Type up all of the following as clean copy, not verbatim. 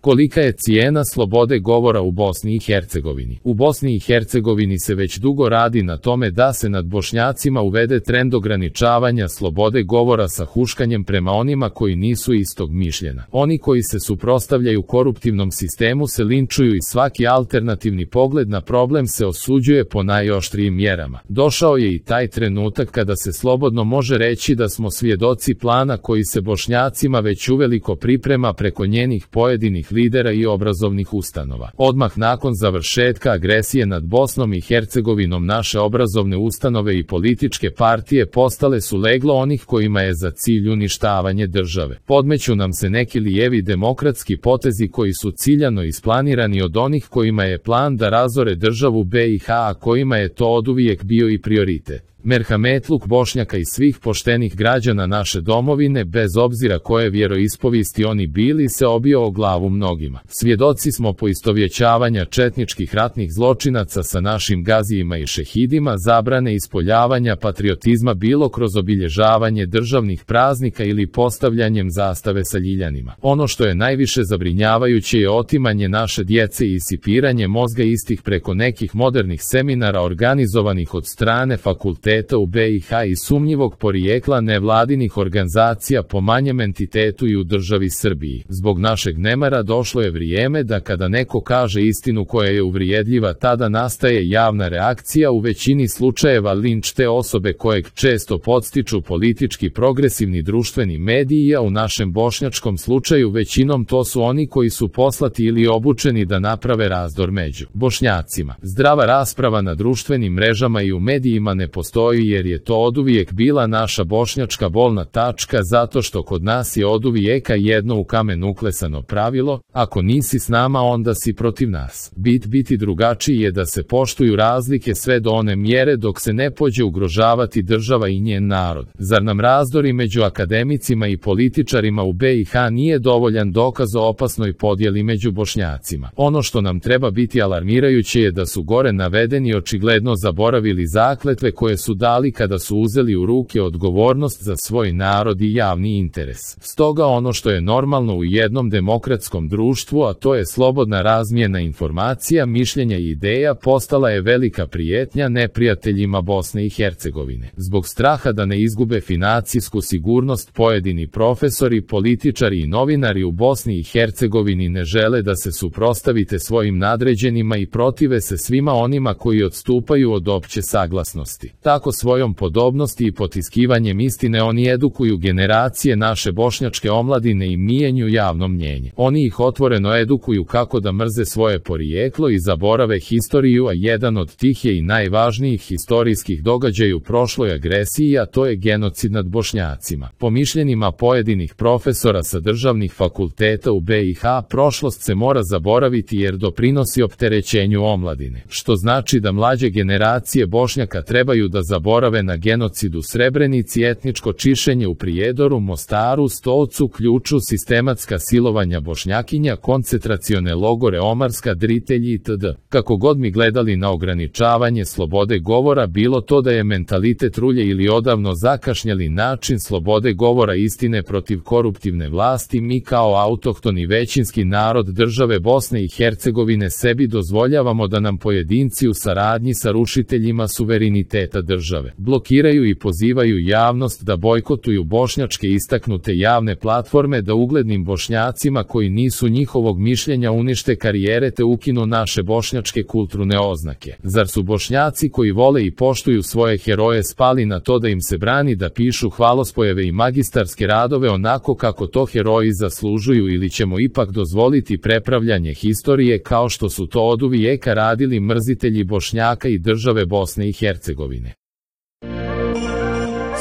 Kolika je cijena slobode govora u Bosni i Hercegovini? U Bosni i Hercegovini se već dugo radi na tome da se nad Bošnjacima uvede trend ograničavanja slobode govora sa huškanjem prema onima koji nisu istog mišljenja. Oni koji se suprotstavljaju koruptivnom sistemu se linčuju i svaki alternativni pogled na problem se osuđuje po najoštrijim mjerama. Došao je i taj trenutak kada se slobodno može reći da smo svjedoci plana koji se Bošnjacima već uveliko priprema preko njenih pojedinih lidera i obrazovnih ustanova. Odmah nakon završetka agresije nad Bosnom i Hercegovinom naše obrazovne ustanove i političke partije postale su leglo onih kojima je za cilj uništavanje države. Podmeću nam se neki lijevi demokratski potezi koji su ciljano isplanirani od onih kojima je plan da razore državu BiH, a kojima je to oduvijek bio i prioritet. Merhametluk Bošnjaka i svih poštenih građana naše domovine, bez obzira koje vjeroispovijesti oni bili, se obio o glavu mnogima. Svjedoci smo poistovjećavanja četničkih ratnih zločinaca sa našim gazijima i šehidima, zabrane ispoljavanja patriotizma bilo kroz obilježavanje državnih praznika ili postavljanjem zastave sa ljiljanima. Ono što je najviše zabrinjavajuće je otimanje naše djece i isipiranje mozga istih preko nekih modernih seminara organizovanih od strane fakulteta u BiH i sumnjivog porijekla nevladinih organizacija po manjem entitetu i u državi Srbiji. Zbog našeg nemara došlo je vrijeme da kada neko kaže istinu koja je uvrijedljiva, tada nastaje javna reakcija, u većini slučajeva linč te osobe kojeg često podstiču politički progresivni društveni mediji, a u našem bošnjačkom slučaju većinom to su oni koji su poslati ili obučeni da naprave razdor među Bošnjacima. Zdrava rasprava na društvenim mrežama i u medijima ne postoji, jer je to oduvijek bila naša bošnjačka bolna tačka, zato što kod nas je oduvijeka jedno u kamen uklesano pravilo: ako nisi s nama, onda si protiv nas. Biti drugačiji je da se poštuju razlike sve do one mjere dok se ne pođe ugrožavati država i njen narod. Zar nam razdori među akademicima i političarima u BiH nije dovoljan dokaz o opasnoj podjeli među Bošnjacima? Ono što nam treba biti alarmirajuće je da su gore navedeni očigledno zaboravili zakletve koje su dali kada su uzeli u ruke odgovornost za svoj narod i javni interes. Stoga ono što je normalno u jednom demokratskom društvu, a to je slobodna razmjena informacija, mišljenja i ideja, postala je velika prijetnja neprijateljima Bosne i Hercegovine. Zbog straha da ne izgube financijsku sigurnost, pojedini profesori, političari i novinari u Bosni i Hercegovini ne žele da se suprotstavite svojim nadređenima i protive se svima onima koji odstupaju od opće saglasnosti. Tako svojom podobnosti i potiskivanjem istine oni edukuju generacije naše bošnjačke omladine i mijenju javno mnjenje. Oni ih otvoreno edukuju kako da mrze svoje porijeklo i zaborave historiju, a jedan od tih je i najvažnijih historijskih događaja u prošloj agresiji, a to je genocid nad Bošnjacima. Po mišljenjima pojedinih profesora sa državnih fakulteta u BiH, prošlost se mora zaboraviti jer doprinosi opterećenju omladine, što znači da mlađe generacije Bošnjaka trebaju da zaborave na genocid u Srebrenici, etničko čišćenje u Prijedoru, Mostaru, Stolcu, Ključu, sistematska silovanja Bošnjakinja, koncentracione logore Omarska, Dritelji itd. Kako god mi gledali na ograničavanje slobode govora, bilo to da je mentalitet rulje ili odavno zakašnjeli način slobode govora istine protiv koruptivne vlasti, mi kao autohtoni većinski narod države Bosne i Hercegovine sebi dozvoljavamo da nam pojedinci u saradnji sa rušiteljima suvereniteta države blokiraju i pozivaju javnost da bojkotuju bošnjačke istaknute javne platforme, da uglednim Bošnjacima koji nisu njihovog mišljenja unište karijere te ukinu naše bošnjačke kulturne oznake. Zar su Bošnjaci koji vole i poštuju svoje heroje spali na to da im se brani da pišu hvalospojeve i magistarske radove onako kako to heroji zaslužuju, ili ćemo ipak dozvoliti prepravljanje historije kao što su to oduvijeka radili mrzitelji Bošnjaka i države Bosne i Hercegovine?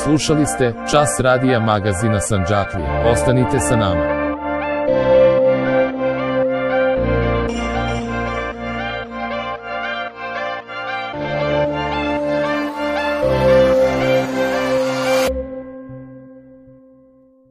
Slušali ste Čas radija magazina Sandžaklije. Ostanite sa nama.